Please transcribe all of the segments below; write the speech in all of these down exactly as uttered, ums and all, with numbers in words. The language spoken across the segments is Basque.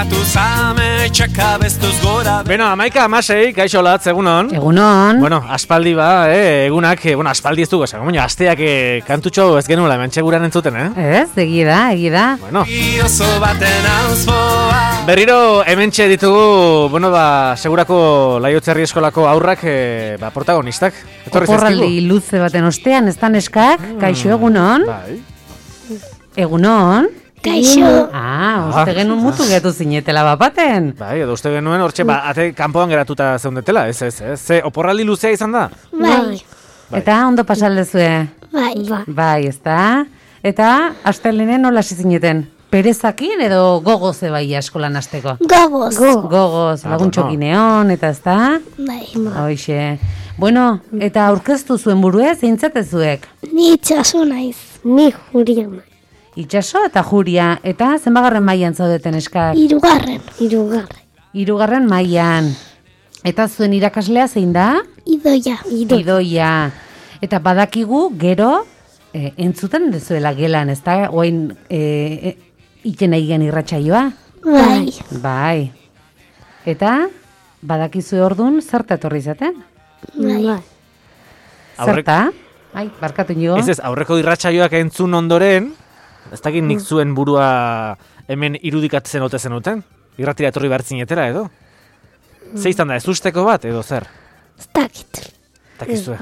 Katu zame txeka bestuz gora. Beno, amaika amasei, kaixo latz, egunon. Egunon. Bueno, aspaldi ba, eh, egunak, eh, bueno, aspaldi ez dugu, esan, baina asteak eh, kantutxo ez genuela, hementxe guran entzuten, eh? Ez, egi da, egi da. Bueno. Oso baten auspoa. Berriro hementxe ditugu, bueno, ba, segurako Laiotzerri eskolako aurrak, eh, ba, protagonistak. Etorri Oporraldi luze baten ostean, ez da neskak, kaixo egunon. Bai. Egunon. Kaixo. Ah, uste genuen mutu getu zinetela bapaten. Bai, edo uste genuen hortxe, ba, ate kanpoan geratuta zeundetela, ez, ez, ez. Ze, oporraldi luzea izan da? Bai. Eta ondo pasaldezue. Bai. Bai. Bai, ez da. Eta, astelenen nola hasi zineten? Perezakin edo gogoze bai eskolan hasteko? Gogoz. Gogoz, Ah, laguntxokin eon, eta ez da? Bai. Hoixe. Bueno, eta aurkeztu zuen burue, zeintzatezuek? Ni itxaso naiz. Ni juria naiz. Itxaso eta Juria, eta zenbagarren mailan zaudeten eskak? Hirugarren. Hirugarren. Hirugarren mailan. Eta zuen irakaslea zein da? Idoia. Idoia. Eta badakigu gero e, entzuten dezuela gelan, ez da? Oain e, e, ikena igen irratsaioa? Bai. Bai. Eta badakizue ordun zerta etorri zaten? Bai. Aurrek- Zerta? Ai, barkatu nio. Ez ez, aurreko irratsaioak entzun ondoren, ez dakit nik zuen burua hemen irudikatzen ote zenuten? Irratira etorri behar zinetela edo? Ze izan da, ez usteko bat edo zer? Ez dakit. Takizue.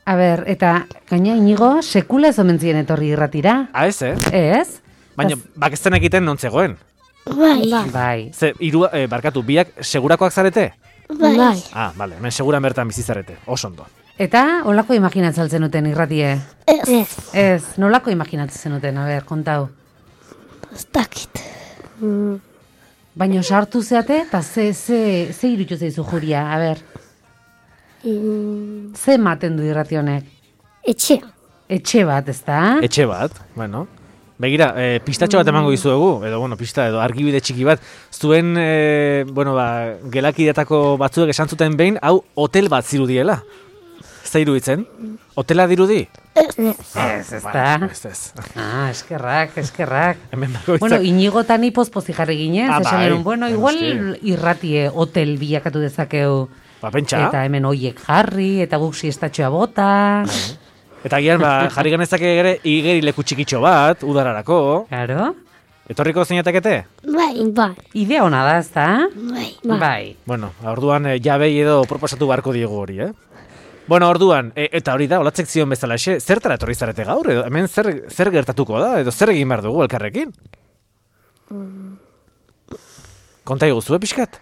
A ber, eta gaina inigo sekula ez omen ziren etorri irratira? Ah, ez, eh? Ez? Baina, bakezten egiten non zegoen. Bai. Bai. Ze, iru, eh, barkatu, biak segurakoak zarete? Bai. Ah, bale, hemen seguran bertan bizi zarete, oso ondo. Eta, olako imaginatzen zenuten irratie? Ez. Ez. Ez, nolako imaginatzen zenuten, a ber, kontau. Ez dakit. Baina sartu zeate, eta ze, ze, ze irutu zeizu Juria, a ber, Mm, ze ematen du irrati honek? Etxea. Etxe bat, ez da? Etxe bat, bueno. Begira, eh, pistatxo bat emango dizuegu, edo, bueno, pista, edo argibide txiki bat. Zuen, eh, bueno, ba, gelakidetako batzuek esan zuten behin, hau hotel bat zirudiela. Ez da iruditzen? Hotela dirudi? Ez. Ez, ez da? Ez, ez. Ah, eskerrak, eskerrak. Hemen bakoitzak. Bueno, inigotan ipozpozi jarri ginen, Ah, esan bai. genuen, bueno, igual Noski. irratie hotel bilakatu dezakeu. Ba, pentsa. Eta hemen hoiek jarri, eta guk siestatxoa bota. Eta gian, ba, jarri ganezake ere igeri leku txikitxo bat, udararako. Claro. Etorriko zeinatekete? Bai. Bai. Idea ona da, ez da? Bai. Bai. Bueno, orduan eh, jabei edo proposatu beharko diegu hori, eh? Bueno, orduan, e, eta hori da, olatzek zion bezala, xe, zertara etorri zarete gaur? Edo, hemen zer, zer gertatuko da? Edo zer egin behar dugu elkarrekin? Konta iguzue pixkat?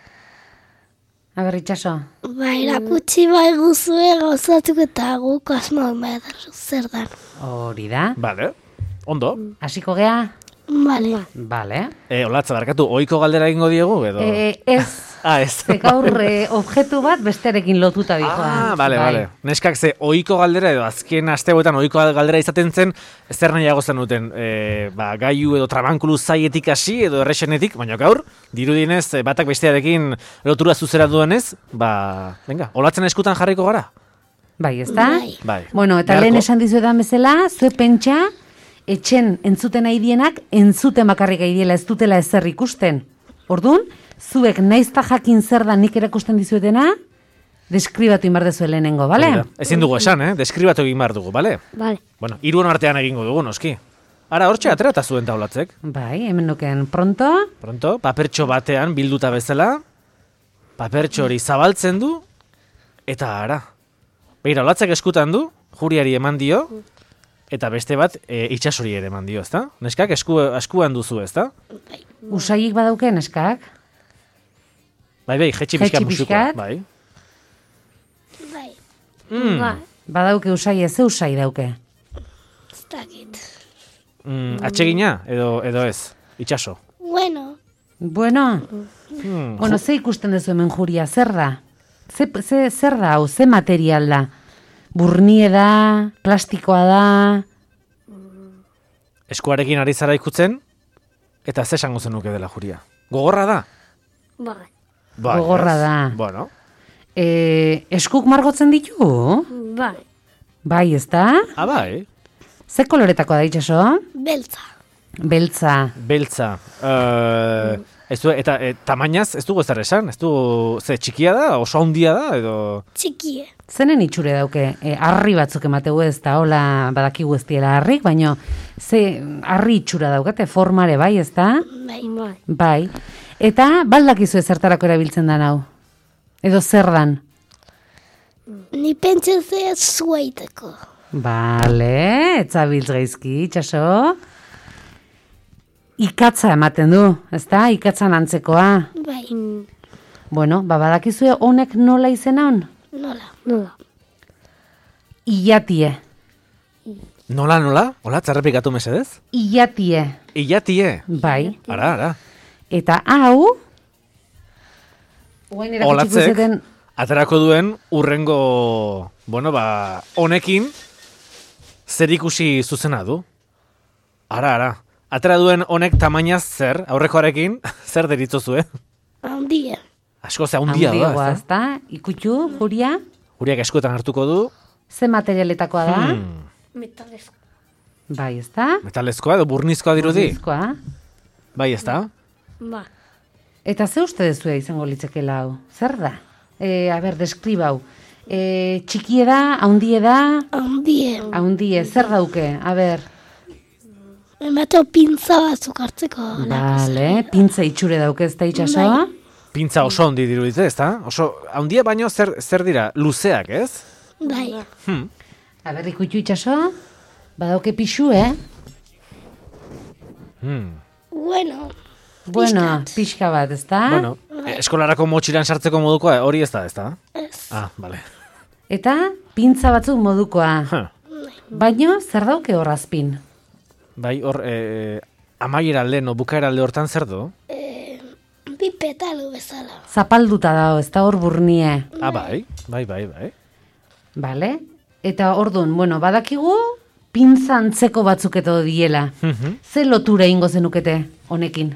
A ber, itxaso. Bai, erakutsi bai guzue gauzatuko eta guk asmoak behar zer dan. Hori da. Bale, ondo. Hasiko gea? Bale. Bale. E, olatza, barkatu, ohiko galdera egingo diegu, edo? E, ez, ah, ez. ze gaur e, objektu bat bestearekin lotuta dijoa. Ah, bale, Bai. bale. Neskak ze ohiko galdera edo azken asteetan ohiko galdera izaten zen, zer nahiago zenuten, e, ba, gaiu edo trabankulu zaietik hasi edo errexenetik, baina gaur, dirudienez, e, batak bestearekin lotura zuzera duenez, ba, venga, olatzen eskutan jarriko gara? Bai, ez da? Bai. Bai. Bueno, eta Beharko. lehen esan dizuetan bezala, zue pentsa, etxen entzuten nahi dienak, entzuten bakarrik aidiela ez dutela ezer ikusten. Orduan, zuek naizta jakin zer da nik erakusten dizuetena, deskribatu inbar dezu lehenengo, bale? Hori da. Ezin dugu esan, eh? Deskribatu egin behar dugu, bale? Bale. Bueno, hiruon artean egingo dugu, noski. Ara, hortxe aterata zuen taulatzek. Bai, hemen nuken pronto, Pronto, papertxo batean bilduta bezala, papertxo hori zabaltzen du, eta ara. Begira, olatzek eskutan du, Juriari eman dio, eta beste bat e, itxasori ere eman dio, ezta? Neskak esku, eskuan duzu, ezta? usaiik badauken eskak, Bai, bai, jetxi Jetxi pixkat musuko. pixkat. Bai. Bai. Mm, Bai. badauke usai ez, ze usai dauke. Ez dakit. mm, atsegina, edo, edo ez, itxaso. Bueno. Bueno, Hmm, bueno, ze ikusten duzu hemen Juria, zer da? Ze, ze, zer da, hau, ze material da? Burnie da, plastikoa da, eskuarekin ari zara ikutzen, eta ze esango zenuke dela Juria. Gogorra da? Bai. Bai, Gogorra ez? da. Bueno, e, eskuk margotzen ditu? Bai. Bai, ez da? ah, bai. Ze koloretakoa da itxaso? Beltza. Beltza. Beltza. Uh, ez du, eta e, tamainaz ez dugu ezer esan? Ez dugu, ze txikia da, oso handia da, edo... Txikie. Zenen itxure dauke, e, harri batzuk emategu ez da, hola badakigu ez diela harrik, baina ze harri itxura daukate, formare bai, ez da? Bai, bai. Bai. Eta baldakizu ezertarako erabiltzen da hau? Edo zer dan? Ni pentsen zea zuaiteko. Bale, etzabiltz gaizki, itxaso. Ikatza ematen du, ez da? Ikatzan antzekoa. Bai. Bueno, ba, badakizue honek nola izena hon? Nola, nola. Iatie. Nola, nola? Hola, txarrepikatu mesedez? Iatie. Iatie. Bai. Ara, ara. Eta hau... Oain erakutsiko Olatzek, zeten... aterako duen urrengo, bueno, ba, honekin zer ikusi zuzena du. Ara, ara. Atera duen honek tamainaz zer, aurrekoarekin, zer deritzozu, eh? Handia. Asko ze handia da, Handiagoa, ez ez da? Ikutu, Juria? Juriak eskuetan hartuko du. Ze materialetakoa da? Hmm, Metalezko. Bai, ez da? metalezkoa edo burnizkoa dirudi? Burnizkoa. Bai, ez da? Ba. Eta ze uste dezue izango litzekela hau? Zer da? E, a ber, deskribau. E, txikie da, haundie da, Handie. haundie, zer dauke? A ber, Emateo pintza batzuk hartzeko. bale, pintza itxure dauke ez da itxaso? Pintza oso handi dirudite, ez da? Oso, handia baino zer, zer dira? Luzeak, ez? Bai. Hmm. A ber, ikutu itxaso? Badauke pixu, eh? Hmm. Bueno. Bueno, pixka bat, ez da? Bueno, eskolarako motxilan sartzeko modukoa, hori ez da, ez da? Ez. Ah, bale. Eta pintza batzuk modukoa. Huh. Baino, zer dauke horrazpin? Bai, hor, e, amaiera alde, no, bukaera alde hortan zer du? Bi petalu bezala. Zapalduta dago, ez da hor burnie. Ah, bai, bai, bai, bai. Bale? Eta ordun, bueno, badakigu pintza antzeko batzuk eto diela. Mhm. Ze lotura ingo zenukete honekin?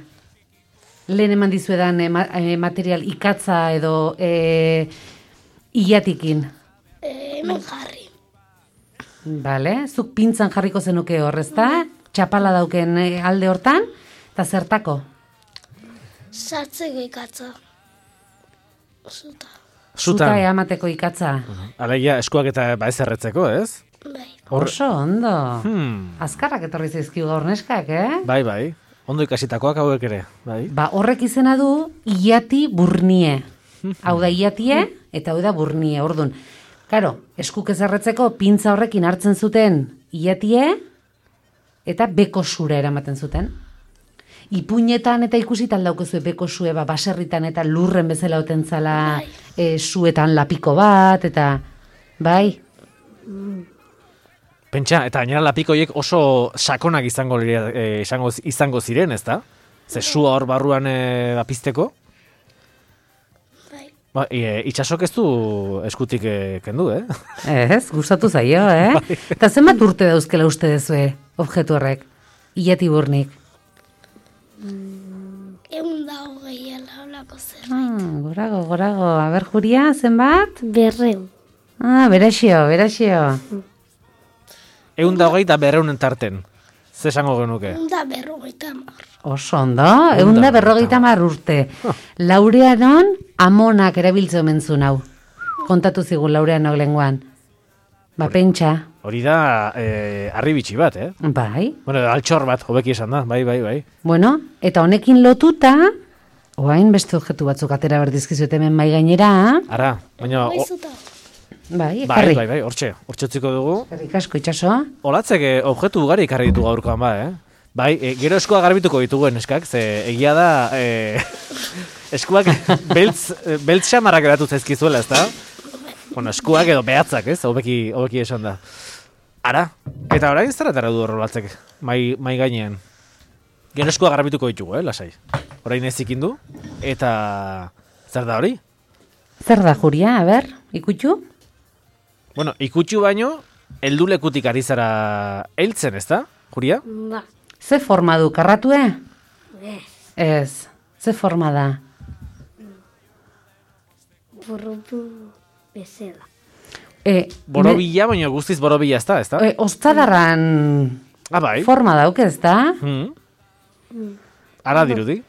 Lehen eman dizuedan e, ma- e, material ikatza edo e, ilatikin. E, hemen jarri. Bale? Zuk pintzan jarriko zenuke hor, ezta? Txapala dauken e, alde hortan, eta zertako? Sartzeko ikatza. Zuta. Zuta Zutan, eamateko ikatza. alegia eskuak eta ba ez erretzeko, ez? Bai. Hor- Oso ondo. Hmm. Azkarrak etorri zaizkigu gaur neskak, eh? Bai, bai. Ondo ikasitakoak hauek ere, bai. Ba, horrek izena du iati burnie. Hau da iatie eta hau da burnie. Ordun, karo, eskuk ezarretzeko pintza horrekin hartzen zuten iatie eta beko sura eramaten zuten. Ipuinetan eta ikusitan daukezue beko sue, ba, baserritan eta lurren bezala otentzala e, suetan lapiko bat, eta bai, Pentsa, eta gainera lapikoiek oso sakonak izango, lira- eh, izango, izango ziren, ez da? Ze sua hor barruan e, apizteko? Bai. Ba, e, itxasok ez du eskutik e, kendu, eh? ez, gustatu zaio, eh? Eta zenbat urte dauzkela uste dezue, objektu horrek, iati burnik. Egun da hogei alaulako zer. Ah, gorago, gorago. Aber, Juria, zenbat? Berreu. Ah, beraxio, beraxio. Egun da hogei eta berreunen tarten. Ze esango genuke? Egun da berrogeita hamar. Oso ondo, egun da berrogeita hamar urte. Laureanon amonak erabiltze omen zuen hau. Kontatu zigun Laureanok lenguan. Ba, pentsa. Hori da, e, arribitxi bat, eh? Bai. Bueno, altxor bat, hobeki esan da, bai, bai, bai. Bueno, eta honekin lotuta, oain beste objektu batzuk atera berdizkizuet hemen mai gainera. Ara, baina... Bai o- zuta. Bai, Bai, ekarri. bai, bai, hortxe, hortxe utziko dugu. Eskerrik asko itxaso. Olatzek eh, objektu ugari ikarri ditu gaurkoan ba, eh? Bai, e, gero eskua garbituko dituguen eskak, ze egia da e, eskuak beltz, beltz xamarrak eratu zaizkizuela, ez da? Bueno, eskuak edo behatzak, ez? Hobeki, hobeki esan da. Ara, eta orain zer atara du Olatzek, mai, mai gainean. Gero eskua garbituko ditugu, eh, lasai. Orain ez ikindu, eta zer da hori? Zer da, Juria, a ber, ikutu? Bueno, ikutxu baino, heldulekutik ari zara heltzen, ez da, Juria? Ba. Ze forma du, karratue? Ez. Ez, ze forma da? Borrobu bezala. E, Borobila, baina guztiz borobila ez da, ez da? E, Ostadarran Ah, bai. forma dauk ez da? Hmm. Ara dirudi.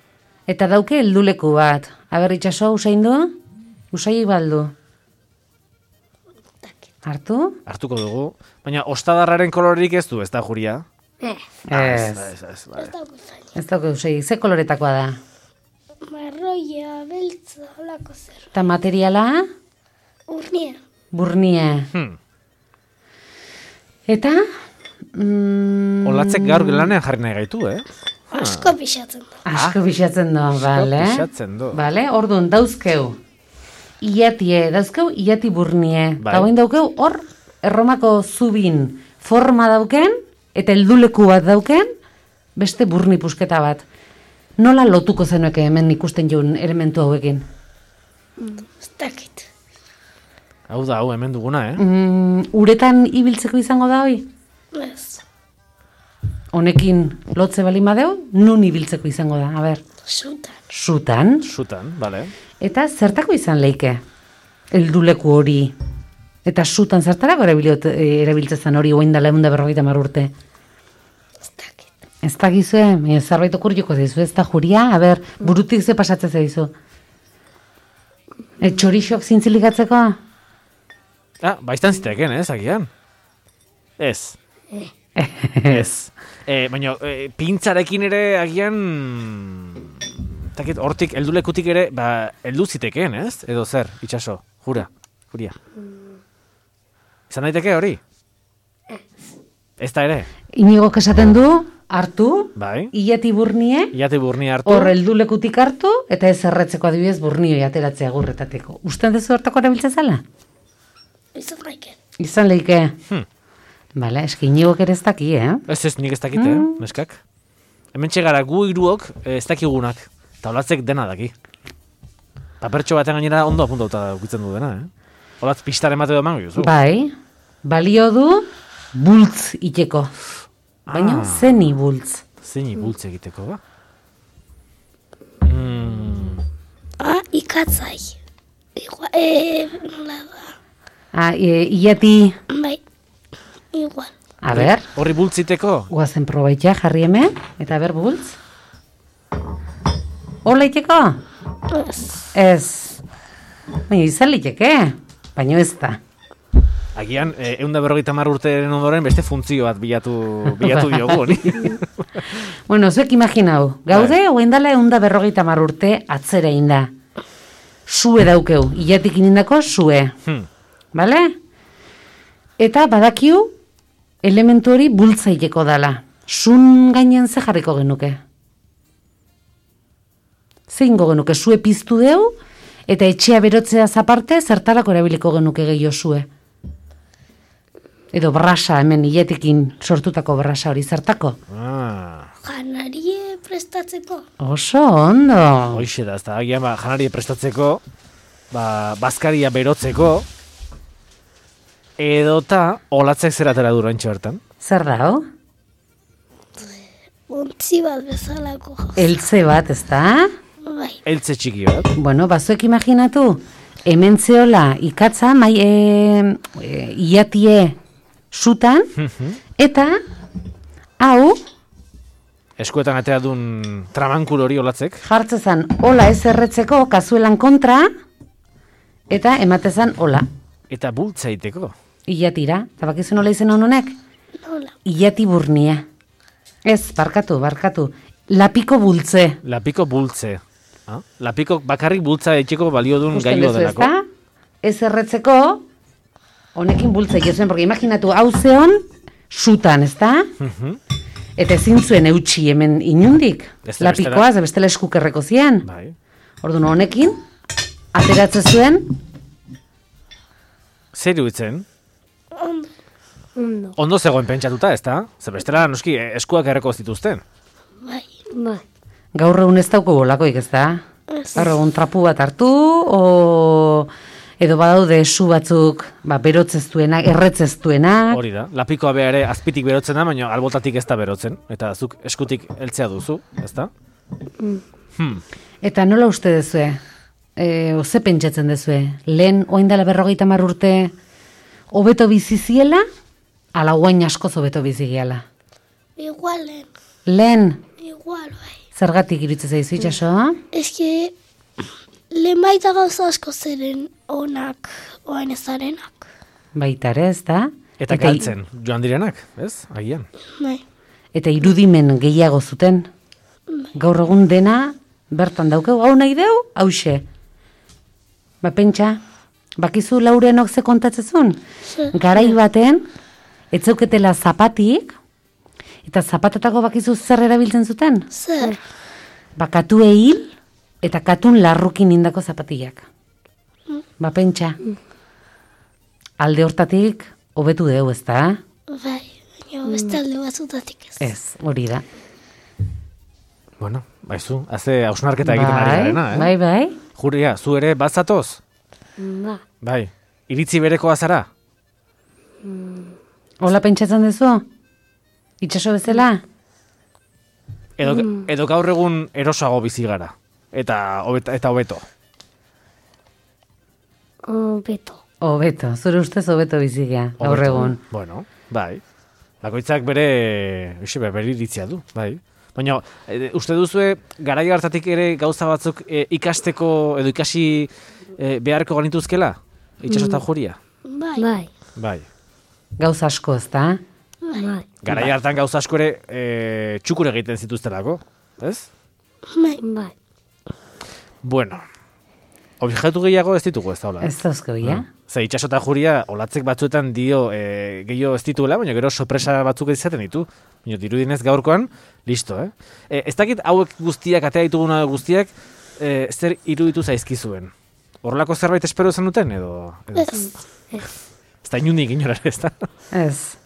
Eta dauke helduleku bat. Aber itxaso, usain du? Usai baldu. Hartu? Hartuko dugu. Baina ostadarraren kolorerik ez du, ez da Juria? Ez. Ez. Ez, ez, Ez vale. dauko zain. Ez dauke usai. Ze koloretakoa da? Marroia, beltza, holako zer. Eta materiala? Urnia. Burnie. Hmm. Eta? Mm, Olatzek gaur lanean jarri nahi gaitu, eh? Asko pixatzen da. Asko pixatzen du, bale? Pixatzen du. Bale, orduan, dauzkeu. Iatie, dauzkeu, iati burnie. Bai. Eta hoin daukeu, hor, erromako zubin forma dauken, eta helduleku bat dauken, beste burni pusketa bat. Nola lotuko zenueke hemen ikusten joan elementu hauekin? Ez dakit. Hau da, hau hemen duguna, eh? Mm, uretan ibiltzeko izango da hoi? Ez. Honekin lotze bali madeu, nun ibiltzeko izango da, a ber. Sutan. Sutan, Sutan, bale. eta zertako izan leike? Helduleku hori. Eta sutan zertarako erabiliot- eh, erabiltzen hori oin dela egun da berrogeita hamar urte. Ez dakit. Ez da gizue, e, zerbait okurriko zaizu, ez da Juria, a ber, burutik ze pasatzen zaizu. E, txorixok zintzilikatzeko? Ah, baiztan ziteken, eh, zagian? Ez. Ez. E, baina, e, pintzarekin ere agian... Takit, hortik, heldulekutik ere, ba, heldu zitekeen, ez? Edo zer, itxaso, jura, Juria. Izan daiteke hori? Ez da ere? Inigo esaten du, hartu, Bai. ilati burnie, Iate burni hartu. hor heldulekutik hartu, eta ez erretzeko adibidez burnioi ateratzea gurretateko. Usten dezu hortako erabiltza zala? Izan gaiken. Izan leike. Hmm. Bale, eski inigok ere ez daki, eh? Ez ez, nik ez dakite, eh, neskak. Hemen txegara gu hiruok eh, ez dakigunak. Eta olatzek dena daki. Papertxo baten gainera ondo apuntauta ukitzen du dena, eh? Olatz pistaren bat edo emango juzu. Bai, balio du bultz iteko. Baina Ah. zeni bultz. Zein bultz egiteko, ba? Mm, Ah, ikatzai. Igual, eh, nola da. Ah, e, iati, Bai. Igual. a ber, horri bultziteko? guazen probaitea jarri hemen, eta ber bultz. Hola iteko? Ez. Ez. Baina izan liteke, baina ez da. Agian, eh, eunda berrogeita mar urteren ondoren beste funtzio bat bilatu, bilatu diogu, honi. Bueno, zuek imaginau, gaude, hoen dala eunda berrogeita mar urte atzera inda. Sue daukeu, ilatik inindako sue. Hmm. Bale? Eta badakiu elementu hori bultzaileko dala. Sun gainen ze jarriko genuke. Zeingo genuke, sue piztu deu, eta etxea berotzea zaparte, zertarako erabiliko genuke gehiago sue. Edo brasa, hemen iletikin sortutako brasa hori zertako. Ah, Janarie prestatzeko. Oso ondo. hoixe da, ez da, agian, ba, janari prestatzeko, ba, bazkaria berotzeko, edota olatzek zeratera dura entxe bertan. Zer da, ho? Untzi bat bezalako. Eltze bat, ez da? Bai. Eltze txiki bat. Bueno, bazuek imaginatu, hemen zeola ikatza, mai, e, e, iatie sutan, eta hau Eskuetan atea dun tramankul hori olatzek. jartzezan hola ez erretzeko kazuelan kontra, eta ematezan hola, Eta bultzaiteko. iatira. Eta bakizu nola izen honek? Nola. Iati burnia. Ez, barkatu, barkatu. Lapiko bultze. Lapiko bultze. Ah? Lapiko bakarrik bultza etxeko balio dun Usten gailo duzu, delako. ezta? Ez erretzeko, honekin bultza egiten, porque imaginatu, hau zeon, sutan, ezta? Mhm. Eta ezin zuen eutxi hemen inundik. Ez da bestela- Lapikoa, ze bestela eskukerreko zian. Bai. Orduan honekin, ateratze zuen, Zer iruditzen? Ondo. Ondo. Ondo zegoen pentsatuta, ezta? Zer bestela noski eh, eskuak erreko zituzten. Bai. Bai. gaur egun ez dauko bolakoik, ez da? Ez. Gaur egun trapu bat hartu, o... edo badaude su batzuk, ba, berotzeztuenak, erretzeztuenak. Hori da. Lapikoa bea ere azpitik berotzen da, baina albotatik ez da berotzen. Eta zuk eskutik heltzea duzu, ezta? Hmm. Eta nola uste dezue? E, oze pentsatzen dezue? Lehen, oin dela berrogeita hamar urte, hobeto biziziela, ala guain askoz hobeto bizigiala. Igualen. Lehen, Igual, bai. Zergatik iruditzen zaizu itxaso? Eske, lehen baita gauza asko zeren onak, oain ezarenak. Baita ere, ez da? Eta galtzen, joan direnak, ez? Agian. Bai. Eta irudimen gehiago zuten. Gaur egun dena, bertan daukeu, hau nahi deu, hause. Ba, pentsa, bakizu Laurenok ze kontatzezun? Garai baten, etzeuketela zapatik, eta zapatatako bakizu zer erabiltzen zuten? Zer? Ba, katue hil, eta katun larrukin indako zapatillak. Ba, pentsa, alde hortatik, hobetu deu, ez da? Bai, baina beste alde batzutatik ez. Ez, hori da. Bueno, baizu, haze hausnarketa egiten ari garena, eh? Bai, bai. Juria, zu ere bazatoz? Ba. Bai, iritzi berekoa zara? Hola pentsatzen duzu? Itxaso bezala? Edo, edo gaur egun erosago bizi gara? Eta hobeta, eta hobeto? Hobeto. Hobeto, zure ustez hobeto bizigea, gaur Hobeto. egun. Bueno, bai. Bakoitzak bere, uxe, bere iritzia du, bai. Baina, e, uste duzue, garai hartatik ere gauza batzuk e, ikasteko edo ikasi e, beharko ganituzkela? Itxaso eta Juria? Bai. Bai. Bai. Gauza asko, ez da? Bai. Garai hartan gauza asko ere e, txukur egiten zituztelako, ez? Bai. Bai. Bueno, objektu gehiago ez ditugu ez da hola. Ez dauzko, ja? Ze itxaso eta Juria olatzek batzuetan dio e, gehiago ez dituela, baina gero sorpresa batzuk izaten ditu. Baina dirudinez gaurkoan, listo, eh? E, ez dakit hauek guztiak, atea dituguna guztiak, e, zer iruditu zaizkizuen? Horrelako zerbait espero zen duten, edo? edo? Ez. Ez. Ez da inundik inorar, ez da? Ez.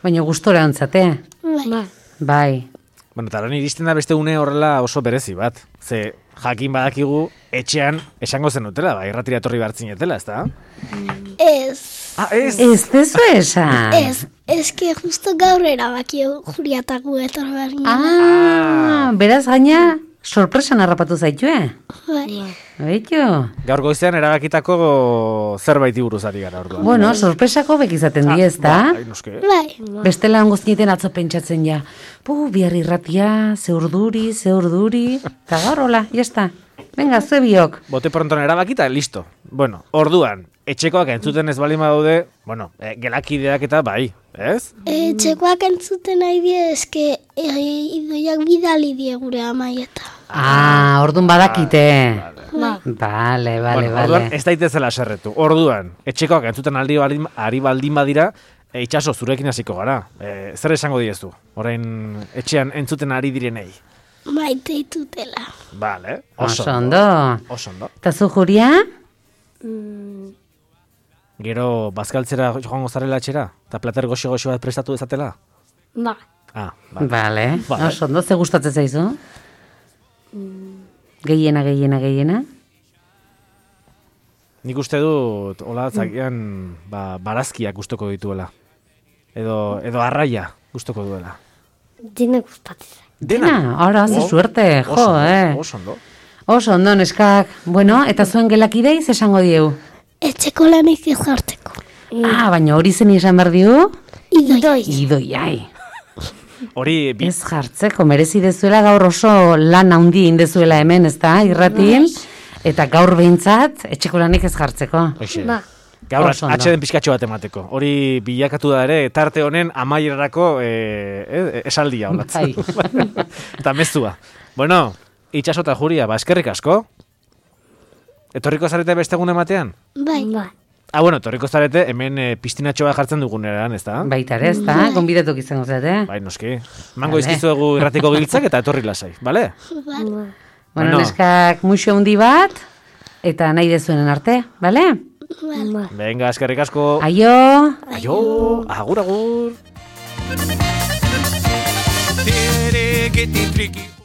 Baina gustora ontzate. Bai. Bai. Bueno, eta lan iristen da beste une horrela oso berezi bat. Ze jakin badakigu etxean esango zenutela, ba, irratira etorri bartzinetela, ez da? Ez. Ah, ez? Ez dezu esan. Ez. Eske justo gaur erabaki Juriataku etor behar Ah, beraz gaina sorpresan harrapatu zaitue. Bai. Baitu. Gaur goizean erabakitako zerbait buruz ari gara orduan. Bueno, sorpresako bek izaten di, ez da? Bai, noske. Bai. Bestela guztieten atzo pentsatzen ja. Pu, bihar irratia, ze urduri, ze urduri. Eta gaur, hola, jazta. Venga, zue biok. Bote pronton erabakita, listo. Bueno, orduan, etxekoak entzuten ez bali badaude, bueno, e, gelakideak eta bai, ez? E, txekoak entzuten nahi die eske e, idoiak bidali die gure amaieta. Ah, ordun badakite. Bai. Vale, vale, bueno, orduan, vale. ez daitezela serretu. Orduan, etxekoak entzuten aldi baldin, ari baldin badira, e, itxaso zurekin hasiko gara. E, zer esango diezu? Orain etxean entzuten ari direnei. Maite ditutela. Vale, Oso oso ondo. Oso ondo. Eta zu, Juria? Gero, bazkaltzera joango zarela etxera? Eta plater goxo-goxo bat prestatu dezatela? Ba. Ah, vale. Vale. Vale. Oso ondo, ze gustatzen zaizu? Gehiena, gehiena, gehiena? Nik uste dut, hola, zagian, ba, barazkiak gustoko dituela. Edo, edo arraia gustoko duela. Dina gustatzen. Dena, ara, ze Oh, suerte, jo, oso ondo, eh. Oso ondo. Oso ondo, neskak. Bueno, eta zuen gelakidei ze esango dieu? Etxeko lanik ez jartzeko. Ah, baina hori zen izan behar diu? Idoi. Idoi, ai. Hori, bi, Ez jartzeko, merezi dezuela gaur oso lan handi indezuela hemen, ez da, irratin? Eta gaur behintzat, etxeko lanik ez jartzeko. Oixe. Ba. Gaur Oso ondo. atxeden pixkatxo bat emateko. Hori bilakatu da ere, tarte honen amaierarako e, e, esaldia olatzen. Bai. Eta mezua. Bueno, itxaso eta Juria, ba, eskerrik asko. Etorriko zarete beste egun ematean? Bai. Bai. Ah, bueno, etorriko zarete hemen e, piztinatxoa jartzen duguneran, ez da? Baita ere, ez da, gonbidatuk izango zate. Bai, noski. Mango Vale. izkizuegu irratiko giltzak eta etorri lasai, bale? Bueno, Bueno. neskak muxo handi bat, eta nahi dezuenen arte, bale? Bai. Venga, eskerrik asko. Aio! Aio, agur, agur. Tere, geti, triki.